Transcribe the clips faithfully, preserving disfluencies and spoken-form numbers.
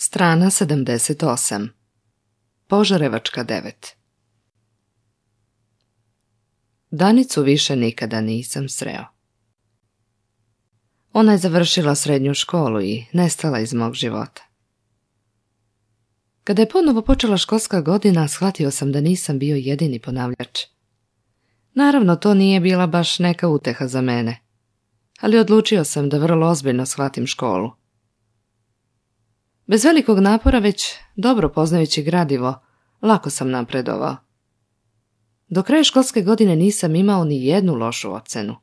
Strana sedamdeset osam. Požarevačka devet. Danicu više nikada nisam sreo. Ona je završila srednju školu i nestala iz mog života. Kada je ponovo počela školska godina, shvatio sam da nisam bio jedini ponavljač. Naravno, to nije bila baš neka uteha za mene, ali odlučio sam da vrlo ozbiljno shvatim školu. Bez velikog napora, već dobro poznajući gradivo, lako sam napredovao. Do kraja školske godine nisam imao ni jednu lošu ocenu.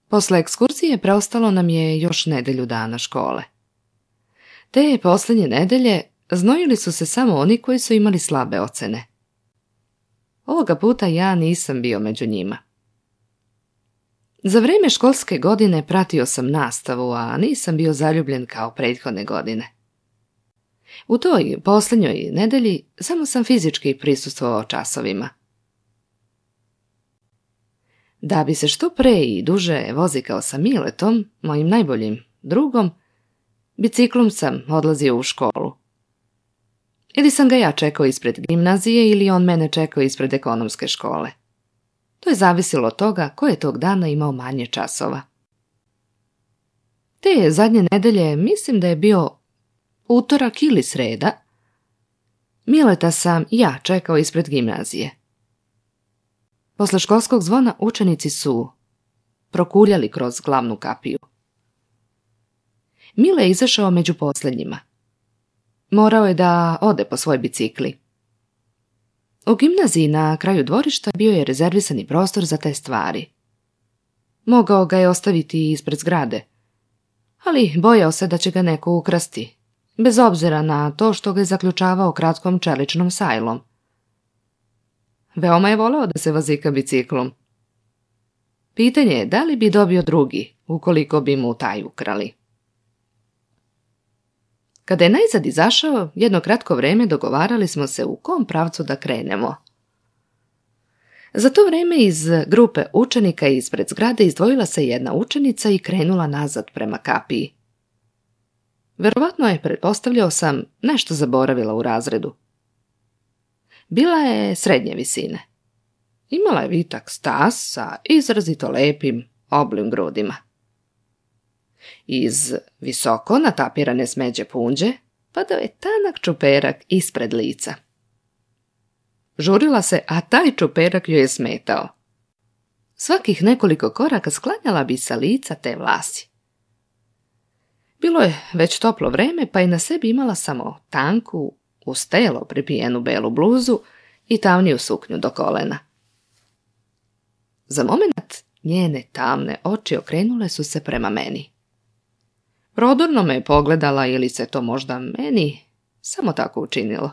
Posle ekskurzije preostalo nam je još nedelju dana škole. Te posljednje nedelje znojili su se samo oni koji su imali slabe ocene. Ovoga puta ja nisam bio među njima. Za vrijeme školske godine pratio sam nastavu, a nisam bio zaljubljen kao prethodne godine. U toj posljednjoj nedelji samo sam fizički prisustvovao časovima. Da bi se što pre i duže vozikao sa Miletom, mojim najboljim drugom, biciklom sam odlazio u školu. Ili sam ga ja čekao ispred gimnazije ili on mene čekao ispred ekonomske škole. To je zavisilo od toga ko je tog dana imao manje časova. Te zadnje nedelje, mislim da je bio utorak ili sreda, Mileta sam ja čekao ispred gimnazije. Posle školskog zvona učenici su prokuljali kroz glavnu kapiju. Mile je izašao među posljednjima. Morao je da ode po svoj bicikli. U gimnaziji na kraju dvorišta bio je rezervisani prostor za te stvari. Mogao ga je ostaviti ispred zgrade, ali bojao se da će ga neko ukrasti, bez obzira na to što ga je zaključavao kratkom čeličnom sajlom. Veoma je voleo da se vozika biciklom. Pitanje je da li bi dobio drugi, ukoliko bi mu taj ukrali. Kada je najzad izašao, jedno kratko vreme dogovarali smo se u kom pravcu da krenemo. Za to vreme iz grupe učenika ispred zgrade izdvojila se jedna učenica i krenula nazad prema kapiji. Verovatno je, pretpostavljao sam, nešto zaboravila u razredu. Bila je srednje visine. Imala je vitak stas sa izrazito lepim, oblim grudima. Iz visoko natapirane smeđe punđe padao je tanak čuperak ispred lica. Žurila se, a taj čuperak joj je smetao. Svakih nekoliko koraka sklanjala bi sa lica te vlasi. Bilo je već toplo vreme, pa je na sebi imala samo tanku, uz telo pripijenu belu bluzu i tamniju suknju do kolena. Za moment njene tamne oči okrenule su se prema meni. Prodorno me je pogledala ili se to možda meni samo tako učinilo.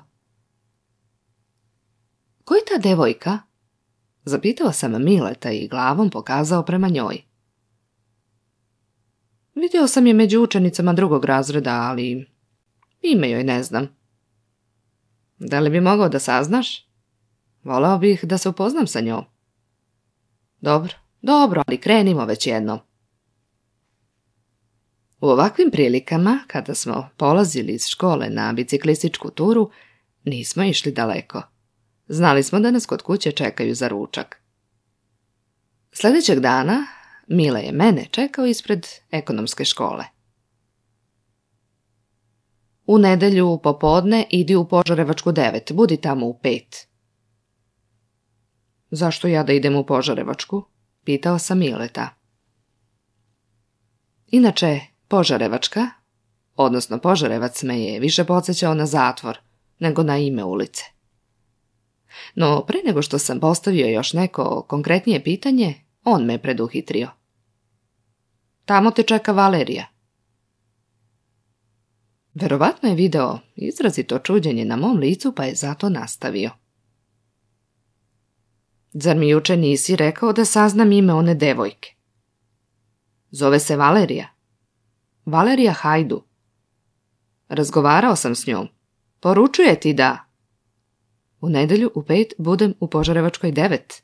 Ko je ta devojka? Zapitao sam Mileta i glavom pokazao prema njoj. Vidio sam je među učenicama drugog razreda, ali ime joj ne znam. Da li bi mogao da saznaš? Voleo bih da se upoznam sa njom. Dobro, dobro, ali krenimo već jednom. U ovakvim prilikama, kada smo polazili iz škole na biciklističku turu, nismo išli daleko. Znali smo da nas kod kuće čekaju za ručak. Sljedećeg dana Mile je mene čekao ispred ekonomske škole. U nedelju popodne idi u Požarevačku devet, budi tamo u pet. Zašto ja da idem u Požarevačku? Pitao sam Mileta. Inače, Požarevačka, odnosno Požarevac, me je više podsjećao na zatvor nego na ime ulice. No, pre nego što sam postavio još neko konkretnije pitanje, on me preduhitrio. Tamo te čeka Valerija. Verovatno je video izrazito čuđenje na mom licu, pa je zato nastavio. Zar mi juče nisi rekao da saznam ime one devojke? Zove se Valerija. Valerija Hajdu. Razgovarao sam s njom. Poručuje ti da... U nedelju u pet budem u Požarevačkoj devet.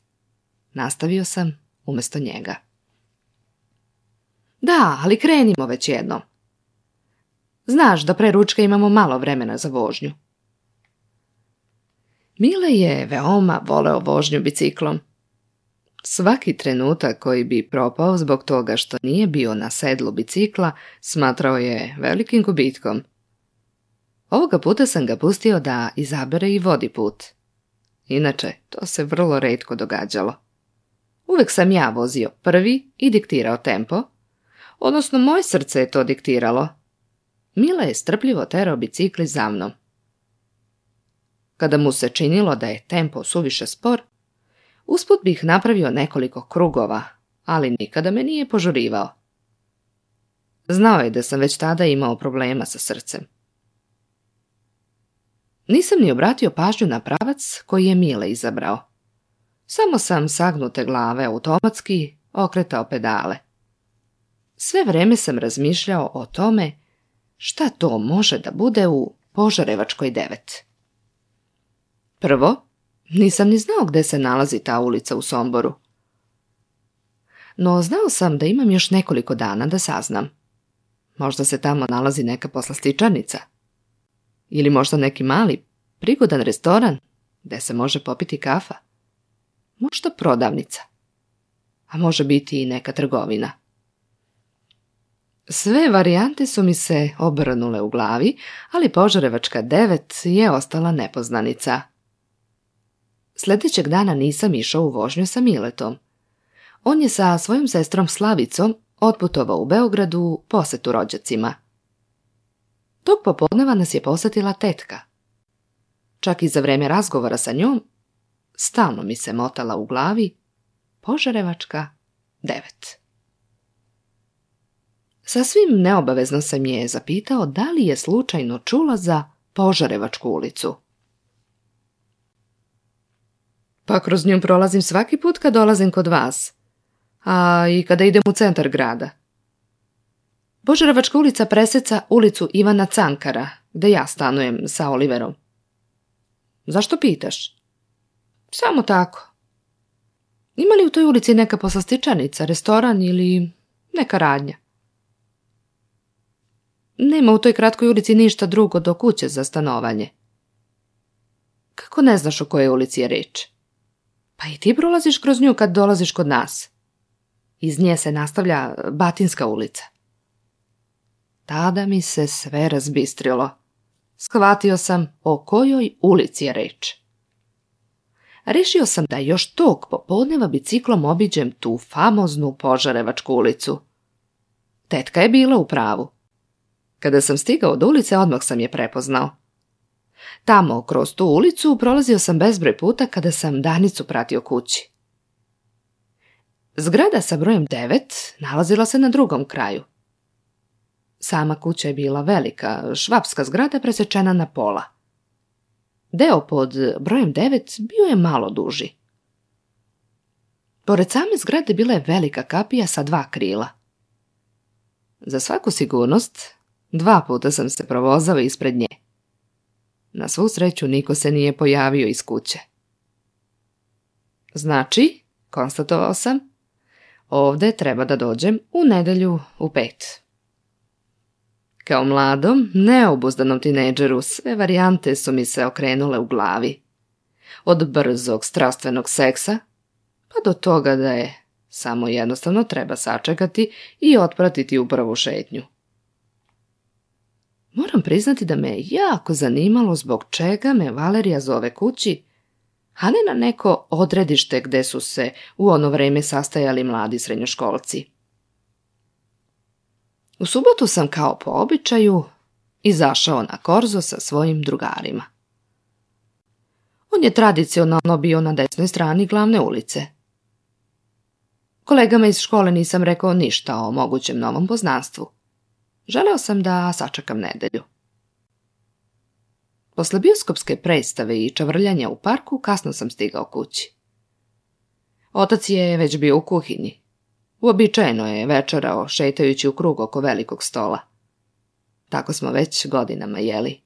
Nastavio sam umjesto njega. Da, ali krenimo već jednom. Znaš da pre ručka imamo malo vremena za vožnju. Mile je veoma voleo vožnju biciklom. Svaki trenutak koji bi propao zbog toga što nije bio na sedlu bicikla smatrao je velikim gubitkom. Ovoga puta sam ga pustio da izabere i vodi put. Inače, to se vrlo retko događalo. Uvek sam ja vozio prvi i diktirao tempo, odnosno moje srce je to diktiralo. Mile je strpljivo terao bicikli za mnom. Kada mu se činilo da je tempo suviše spor, usput bih napravio nekoliko krugova, ali nikada me nije požurivao. Znao je da sam već tada imao problema sa srcem. Nisam ni obratio pažnju na pravac koji je Mile izabrao. Samo sam sagnute glave automatski okretao pedale. Sve vreme sam razmišljao o tome šta to može da bude u Požarevačkoj devet. Prvo, nisam ni znao gde se nalazi ta ulica u Somboru. No znao sam da imam još nekoliko dana da saznam. Možda se tamo nalazi neka poslastičarnica. Ili možda neki mali, prigodan restoran gde se može popiti kafa. Možda prodavnica. A može biti i neka trgovina. Sve varijante su mi se obrnule u glavi, ali Požarevačka devet je ostala nepoznanica. Sljedećeg dana nisam išao u vožnju sa Miletom. On je sa svojom sestrom Slavicom otputovao u Beogradu u posetu rođacima. Tog popodneva nas je posetila tetka. Čak i za vreme razgovora sa njom, stalno mi se motala u glavi Požarevačka devet. Sasvim neobavezno sam je zapitao da li je slučajno čula za Požarevačku ulicu. Pa kroz nju prolazim svaki put kad dolazim kod vas, a i kada idem u centar grada. Požarevačka ulica preseca ulicu Ivana Cankara, gde ja stanujem sa Oliverom. Zašto pitaš? Samo tako. Ima li u toj ulici neka poslastičarnica, restoran ili neka radnja? Nema u toj kratkoj ulici ništa drugo do kuće za stanovanje. Kako ne znaš o kojoj ulici je reč? Pa i ti prolaziš kroz nju kad dolaziš kod nas. Iz nje se nastavlja Batinska ulica. Tada mi se sve razbistrilo. Shvatio sam o kojoj ulici je reč. Rešio sam da još tog popodneva biciklom obiđem tu famoznu Požarevačku ulicu. Tetka je bila u pravu. Kada sam stigao od ulice, odmah sam je prepoznao. Tamo, kroz tu ulicu, prolazio sam bezbroj puta kada sam Danicu pratio kući. Zgrada sa brojem devet nalazila se na drugom kraju. Sama kuća je bila velika, švapska zgrada presečena na pola. Deo pod brojem devet bio je malo duži. Pored same zgrade bila je velika kapija sa dva krila. Za svaku sigurnost, dva puta sam se provozao ispred nje. Na svu sreću niko se nije pojavio iz kuće. Znači, konstatovao sam, ovde treba da dođem u nedelju u pet. Kao mladom, neobuzdanom tinejdžeru sve varijante su mi se okrenule u glavi. Od brzog, strastvenog seksa, pa do toga da je samo jednostavno treba sačekati i otpratiti u prvu šetnju. Moram priznati da me jako zanimalo zbog čega me Valerija zove kući, a ne na neko odredište gde su se u ono vreme sastajali mladi srednjoškolci. U subotu sam kao po običaju izašao na korzo sa svojim drugarima. On je tradicionalno bio na desnoj strani glavne ulice. Kolegama iz škole nisam rekao ništa o mogućem novom poznanstvu. Želeo sam da sačekam nedelju. Posle bioskopske predstave i čavrljanja u parku kasno sam stigao kući. Otac je već bio u kuhinji. Uobičajeno je večerao šetajući u krug oko velikog stola. Tako smo već godinama jeli.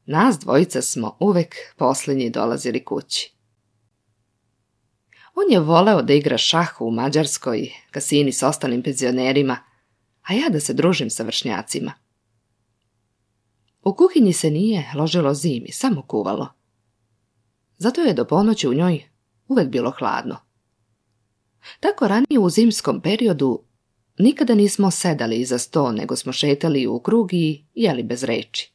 Nas dvojica smo uvek posljednji dolazili kući. On je voleo da igra šah u mađarskoj kasini s ostalim penzionerima, a ja da se družim sa vršnjacima. U kuhinji se nije ložilo zimi, samo kuvalo. Zato je do ponoći u njoj uvek bilo hladno. Tako ranije u zimskom periodu nikada nismo sedali iza sto, nego smo šetali u krug i jeli bez reči.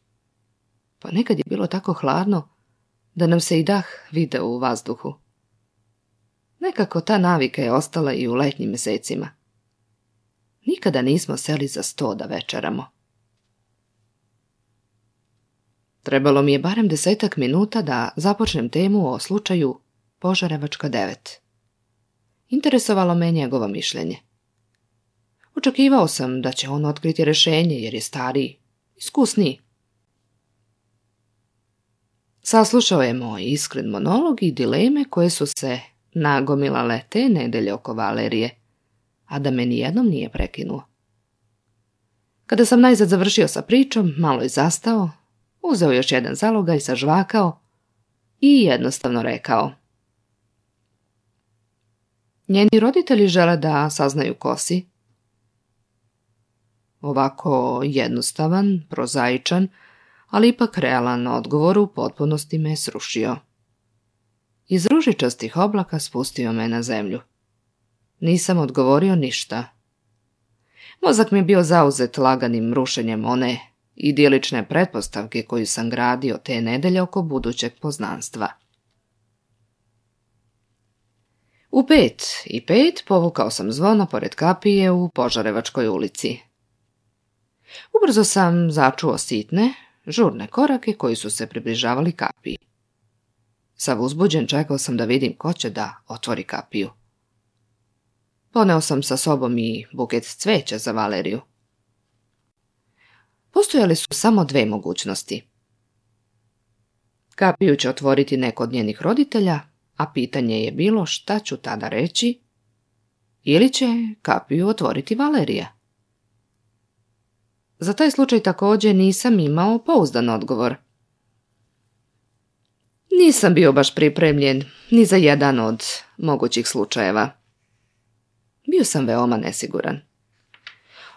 Pa nekad je bilo tako hladno da nam se i dah video u vazduhu. Nekako ta navika je ostala i u letnjim mesecima. Nikada nismo seli za sto da večeramo. Trebalo mi je barem desetak minuta da započnem temu o slučaju Požarevačka devet. Interesovalo me njegovo mišljenje. Očekivao sam da će on otkriti rješenje jer je stariji, iskusniji. Saslušao je moj iskren monolog i dileme koje su se nagomilale te nedelje oko Valerije, a da me nijednom nije prekinuo. Kada sam najzad završio sa pričom, malo je zastao, uzeo još jedan zalogaj, sažvakao i jednostavno rekao: njeni roditelji žele da saznaju ko si. Ovako jednostavan, prozaičan, ali ipak realan odgovor u potpunosti me srušio. Iz ružičastih oblaka spustio me na zemlju. Nisam odgovorio ništa. Mozak mi je bio zauzet laganim rušenjem one idilične pretpostavke koju sam gradio te nedelje oko budućeg poznanstva. U pet i pet povukao sam zvono pored kapije u Požarevačkoj ulici. Ubrzo sam začuo sitne, žurne korake koji su se približavali kapiji. Sav uzbuđen čekao sam da vidim ko će da otvori kapiju. Poneo sam sa sobom i buket cveća za Valeriju. Postojale su samo dve mogućnosti. Kapiju će otvoriti neko od njenih roditelja, a pitanje je bilo šta ću tada reći, ili će kapiju otvoriti Valerija. Za taj slučaj također nisam imao pouzdan odgovor. Nisam bio baš pripremljen ni za jedan od mogućih slučajeva. Bio sam veoma nesiguran.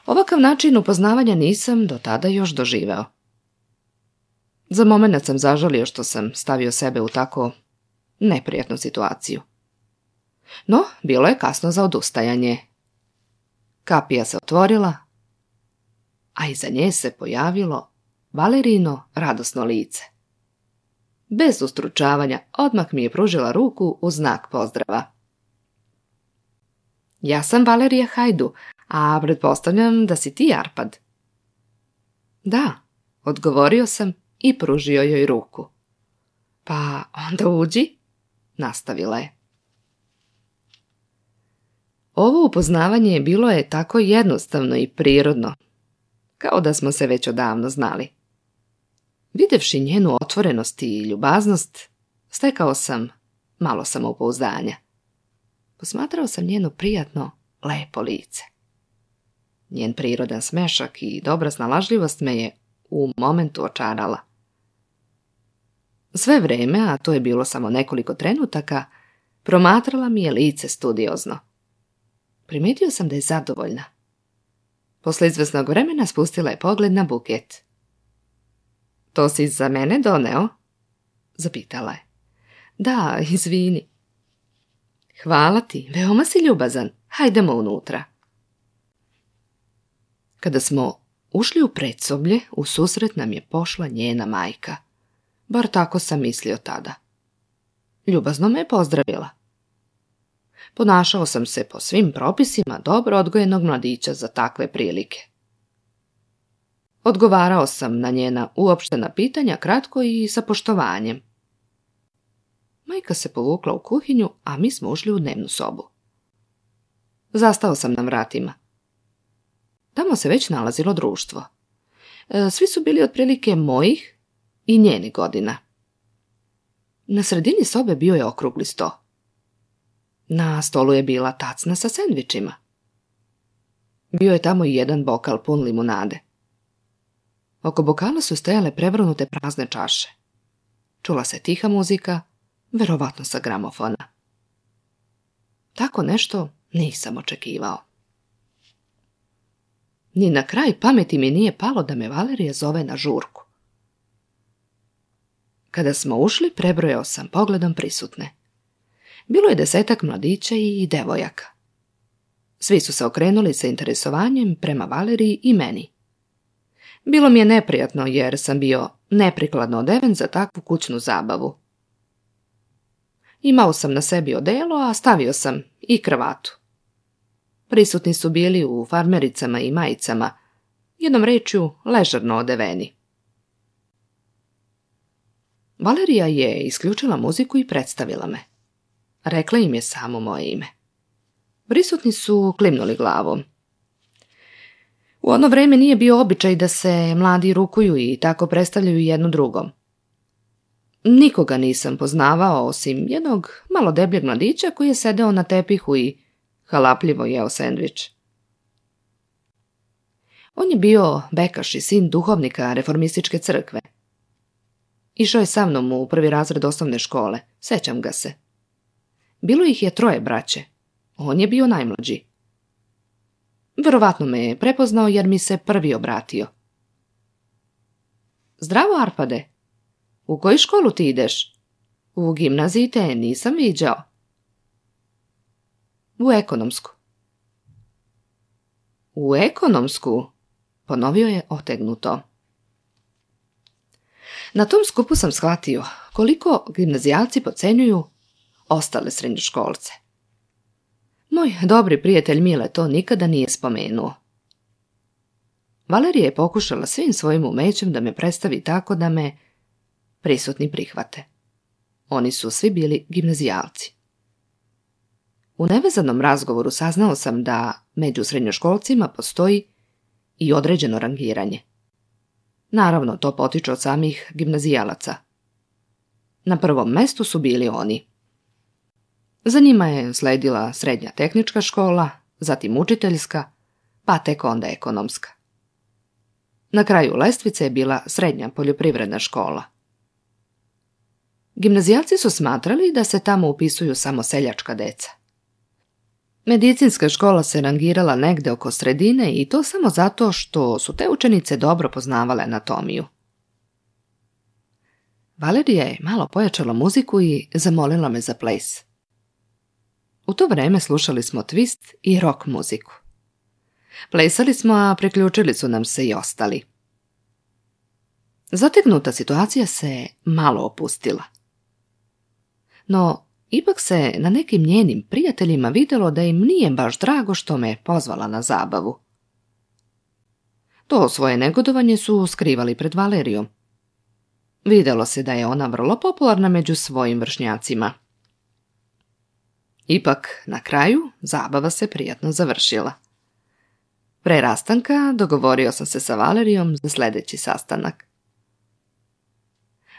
Ovakav način upoznavanja nisam do tada još doživeo. Za moment sam zažalio što sam stavio sebe u tako neprijatnu situaciju. No, bilo je kasno za odustajanje. Kapija se otvorila, a iza nje se pojavilo Valerino radosno lice. Bez ustručavanja odmah mi je pružila ruku u znak pozdrava. Ja sam Valerija Hajdu, a pretpostavljam da si ti Arpad. Da, odgovorio sam i pružio joj ruku. Pa onda uđi, nastavila je. Ovo upoznavanje bilo je tako jednostavno i prirodno, kao da smo se već odavno znali. Videvši njenu otvorenost i ljubaznost, stekao sam malo samopouzdanja. Posmatrao sam njeno prijatno, lepo lice. Njen prirodan smešak i dobra snalažljivost me je u momentu očarala. Sve vreme, a to je bilo samo nekoliko trenutaka, promatrala mi je lice studiozno. Primetio sam da je zadovoljna. Posle izvesnog vremena spustila je pogled na buket. To si za mene doneo? Zapitala je. Da, izvini. Hvala ti, veoma si ljubazan. Hajdemo unutra. Kada smo ušli u predsoblje, u susret nam je pošla njena majka. Bar tako sam mislio tada. Ljubazno me je pozdravila. Ponašao sam se po svim propisima dobro odgojenog mladića za takve prilike. Odgovarao sam na njena uopštena pitanja kratko i sa poštovanjem. Majka se povukla u kuhinju, a mi smo ušli u dnevnu sobu. Zastao sam na vratima. Tamo se već nalazilo društvo. Svi su bili otprilike mojih i njenih godina. Na sredini sobe bio je okrugli sto. Na stolu je bila tacna sa sendvičima. Bio je tamo i jedan bokal pun limunade. Oko bokala su stajale prevrnute prazne čaše. Čula se tiha muzika, verovatno sa gramofona. Tako nešto nisam očekivao. Ni na kraj pameti mi nije palo da me Valerija zove na žurku. Kada smo ušli, prebrojao sam pogledom prisutne. Bilo je desetak mladića i devojaka. Svi su se okrenuli sa interesovanjem prema Valeriji i meni. Bilo mi je neprijatno jer sam bio neprikladno odeven za takvu kućnu zabavu. Imao sam na sebi odelo, a stavio sam i kravatu. Prisutni su bili u farmericama i majicama, jednom rečju ležerno odeveni. Valerija je isključila muziku i predstavila me. Rekla im je samo moje ime. Prisutni su klimnuli glavom. U ono vreme nije bio običaj da se mladi rukuju i tako predstavljaju jedno drugom. Nikoga nisam poznavao osim jednog malo debljeg mladića koji je sedeo na tepihu i halapljivo jeo sendvič. On je bio bekaš i sin duhovnika reformističke crkve. Išao je sa mnom u prvi razred osnovne škole, sećam ga se. Bilo ih je troje braće, on je bio najmlađi. Verovatno me je prepoznao jer mi se prvi obratio. Zdravo, Arpade, u koju školu ti ideš? U gimnaziji te nisam viđao. U ekonomsku. U ekonomsku, ponovio je otegnuto. Na tom skupu sam shvatio koliko gimnazijalci podcenjuju ostale srednjoškolce. Moj dobri prijatelj Mile to nikada nije spomenuo. Valerija je pokušala svim svojim umećem da me predstavi tako da me prisutni prihvate. Oni su svi bili gimnazijalci. U nevezanom razgovoru saznao sam da među srednjoškolcima postoji i određeno rangiranje. Naravno, to potiče od samih gimnazijalaca. Na prvom mestu su bili oni. Za njima je sledila srednja tehnička škola, zatim učiteljska, pa tek onda ekonomska. Na kraju lestvice je bila srednja poljoprivredna škola. Gimnazijalci su smatrali da se tamo upisuju samo seljačka deca. Medicinska škola se rangirala negde oko sredine i to samo zato što su te učenice dobro poznavale anatomiju. Valerija je malo pojačala muziku i zamolila me za ples. U to vreme slušali smo twist i rock muziku. Plesali smo, a priključili su nam se i ostali. Zategnuta situacija se malo opustila. No, ipak se na nekim njenim prijateljima vidjelo da im nije baš drago što me pozvala na zabavu. To svoje negodovanje su skrivali pred Valerijom. Vidjelo se da je ona vrlo popularna među svojim vršnjacima. Ipak, na kraju, zabava se prijatno završila. Pre rastanka dogovorio sam se sa Valerijom za sljedeći sastanak.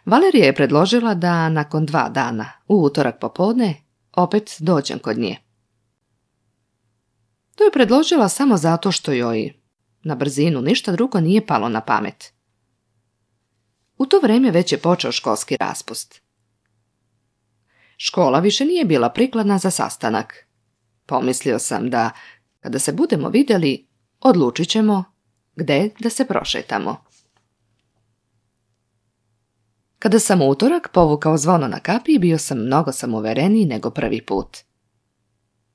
Valerija je predložila da nakon dva dana, u utorak popodne, opet dođem kod nje. To je predložila samo zato što joj na brzinu ništa drugo nije palo na pamet. U to vrijeme već je počeo školski raspust. Škola više nije bila prikladna za sastanak. Pomislio sam da, kada se budemo vidjeli, odlučit ćemo gde da se prošetamo. Kada sam u utorak povukao zvono na kapiji, bio sam mnogo samouvereniji nego prvi put.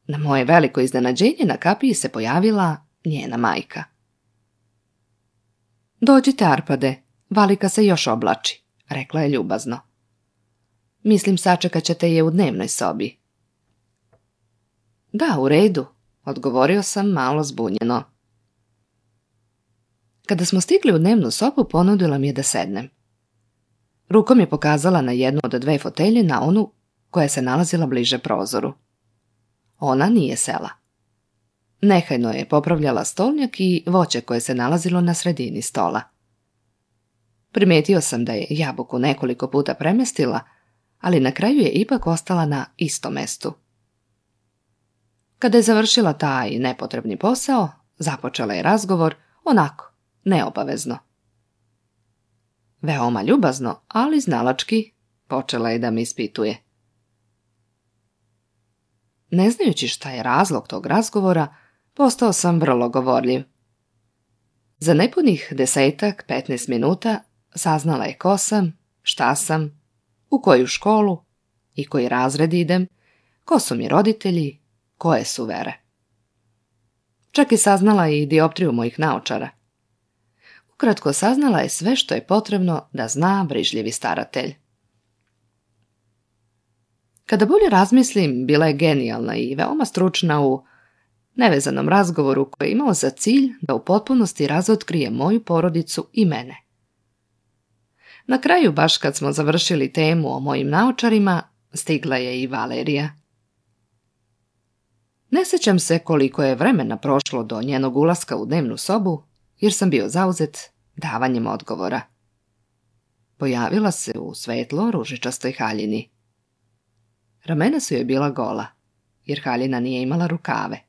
Na moje veliko iznenađenje na kapiji se pojavila njena majka. Dođite, Arpade, Valika se još oblači, rekla je ljubazno. Mislim, sačekat ćete je u dnevnoj sobi. Da, u redu, odgovorio sam malo zbunjeno. Kada smo stigli u dnevnu sobu, ponudila mi je da sednem. Rukom je pokazala na jednu od dve fotelje na onu koja se nalazila bliže prozoru. Ona nije sela. Nehajno je popravljala stolnjak i voće koje se nalazilo na sredini stola. Primetio sam da je jabuku nekoliko puta premjestila, ali na kraju je ipak ostala na istom mestu. Kada je završila taj nepotrebni posao, započela je razgovor, onako, neobavezno. Veoma ljubazno, ali znalački, počela je da me ispituje. Ne znajući šta je razlog tog razgovora, postao sam vrlo govorljiv. Za nepunih desetak, petnaest minuta saznala je ko sam, šta sam u koju školu i koji razred idem, ko su mi roditelji, koje su vere. Čak i saznala i dioptriju mojih naočara. Ukratko, saznala je sve što je potrebno da zna brižljivi staratelj. Kada bolje razmislim, bila je genijalna i veoma stručna u nevezanom razgovoru koji je imao za cilj da u potpunosti razotkrije moju porodicu i mene. Na kraju, baš kad smo završili temu o mojim naočarima, stigla je i Valerija. Ne sjećam se koliko je vremena prošlo do njenog ulaska u dnevnu sobu, jer sam bio zauzet davanjem odgovora. Pojavila se u svetlo ružičastoj haljini. Ramena su joj bila gola, jer haljina nije imala rukave.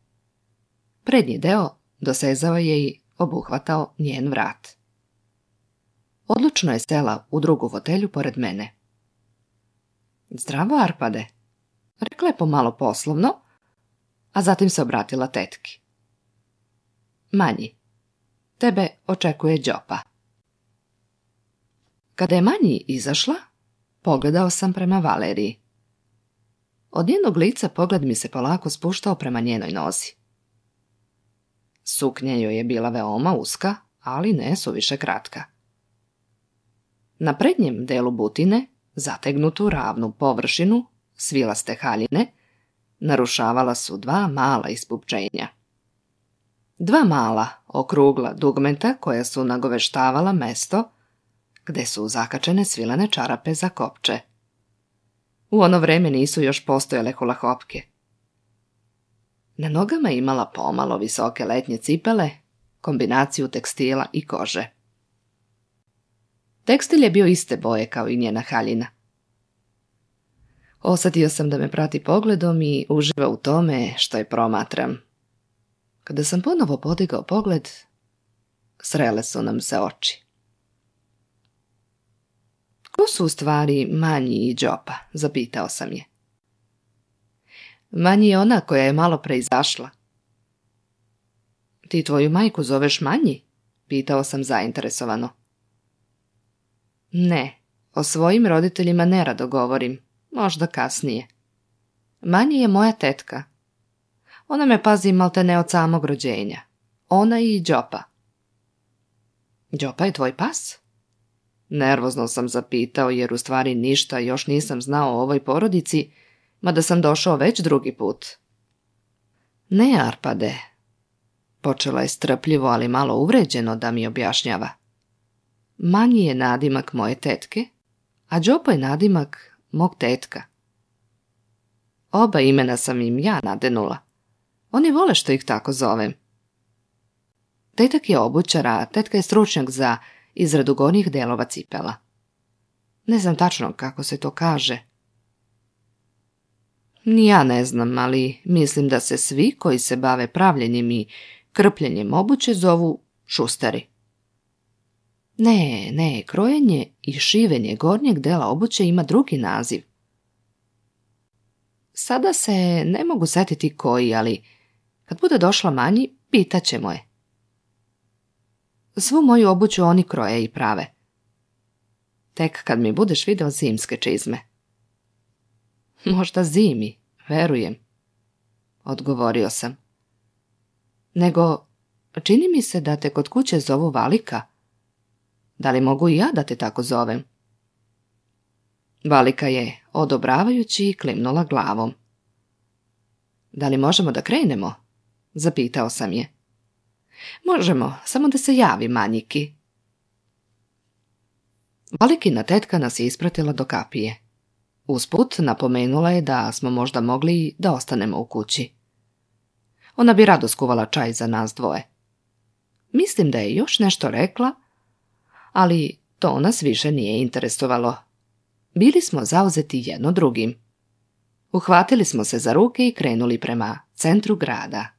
Prednji deo dosezao je i obuhvatao njen vrat. Odlučno je sela u drugu fotelju pored mene. Zdravo, Arpade, rekla je pomalo poslovno, a zatim se obratila tetki. Manji, tebe očekuje Đopa. Kada je Manji izašla, pogledao sam prema Valeriji. Od njenog lica pogled mi se polako spuštao prema njenoj nozi. Suknja joj je bila veoma uska, ali ne suviše kratka. Na prednjem delu butine, zategnutu ravnu površinu, svilaste haljine, narušavala su dva mala ispupčenja. Dva mala, okrugla dugmenta koja su nagoveštavala mesto gde su zakačene svilene čarape za kopče. U ono vreme nisu još postojale hulahopke. Na nogama je imala pomalo visoke letnje cipele, kombinaciju tekstila i kože. Tekstil je bio iste boje kao i njena haljina. Osjetio sam da me prati pogledom i uživa u tome što je promatram. Kada sam ponovo podigao pogled, srele su nam se oči. Ko su u stvari Manji i Đopa, zapitao sam je. Manji je ona koja je malo pre izašla. Ti tvoju majku zoveš Manji? Pitao sam zainteresovano. Ne, o svojim roditeljima nerado govorim, možda kasnije. Manji je moja tetka. Ona me pazi maltene od samog rođenja. Ona i Đopa. Đopa je tvoj pas? Nervozno sam zapitao jer u stvari ništa još nisam znao o ovoj porodici, mada sam došao već drugi put. Ne, Arpade. Počela je strpljivo, ali malo uvređeno da mi objašnjava. Manji je nadimak moje tetke, a Đopa je nadimak mog tetka. Oba imena sam im ja nadenula. Oni vole što ih tako zovem. Tetak je obućar, a tetka je stručnjak za izradu gornjih delova cipela. Ne znam tačno kako se to kaže. Ni ja ne znam, ali mislim da se svi koji se bave pravljenjem i krpljenjem obuće zovu šustari. Ne, ne, krojenje i šivenje gornjeg dela obuće ima drugi naziv. Sada se ne mogu setiti koji, ali kad bude došla Manji, pitaćemo je. Svu moju obuću oni kroje i prave. Tek kad mi budeš video zimske čizme. Možda zimi, verujem, odgovorio sam. Nego, čini mi se da te kod kuće zovu Valika. Da li mogu i ja da te tako zovem? Valika je, odobravajući, klimnula glavom. Da li možemo da krenemo? Zapitao sam je. Možemo, samo da se javi Manjiki. Valikina tetka nas je ispratila do kapije. Usput napomenula je da smo možda mogli da ostanemo u kući. Ona bi rado skuvala čaj za nas dvoje. Mislim da je još nešto rekla, ali to nas više nije interesovalo. Bili smo zauzeti jedno drugim. Uhvatili smo se za ruke i krenuli prema centru grada.